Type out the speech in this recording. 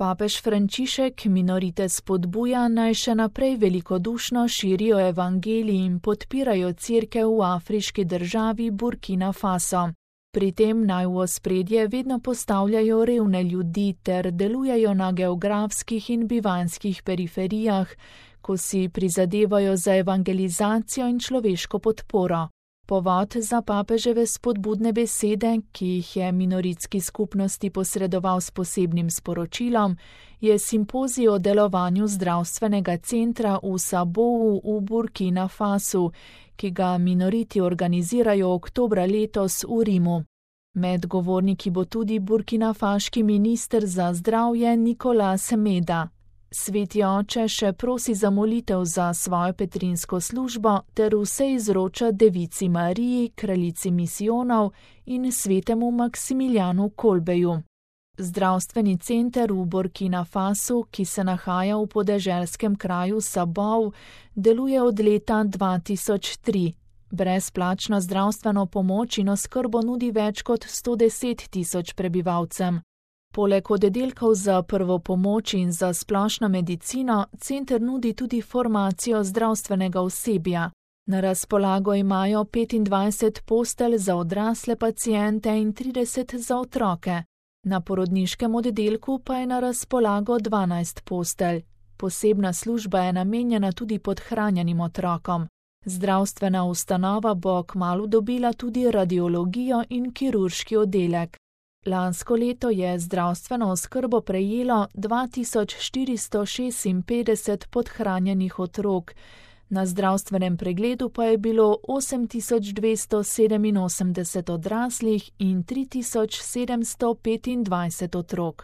Papež Frančišek minorite spodbuja, naj še naprej velikodušno širijo evangelij in podpirajo cerkev v afriški državi Burkina Faso. Pri tem naj v ospredje vedno postavljajo revne ljudi ter delujejo na geografskih in bivanjskih periferijah, ko si prizadevajo za evangelizacijo in človeško podporo. Povod za papeževe spodbudne besede, ki jih je minoritski skupnosti posredoval s posebnim sporočilom, je simpozij o delovanju zdravstvenega centra v Sabovu v Burkina Fasu, ki ga minoriti organizirajo oktobra letos v Rimu. Med govorniki bo tudi burkinafaški minister za zdravje Nicolas Meda. Sveti oče še prosi za molitev za svojo petrinsko službo ter vse izroča Devici Mariji, kraljici misijonov in svetemu Maksimiljanu Kolbeju. Zdravstveni center v Burkina Fasu, ki se nahaja v podeželskem kraju Sabov, deluje od leta 2003. Brezplačno zdravstveno pomoč in oskrbo nudi več kot 110 tisoč prebivalcem. Poleg oddelkov za prvo pomoč in za splošno medicino, center nudi tudi formacijo zdravstvenega osebja. Na razpolago imajo 25 postelj za odrasle paciente in 30 za otroke. Na porodniškem oddelku pa je na razpolago 12 postelj. Posebna služba je namenjena tudi podhranjenim otrokom. Zdravstvena ustanova bo kmalu dobila tudi radiologijo in kirurški oddelek. Lansko leto je zdravstveno oskrbo prejelo 2456 podhranjenih otrok, na zdravstvenem pregledu pa je bilo 8287 odraslih in 3725 otrok.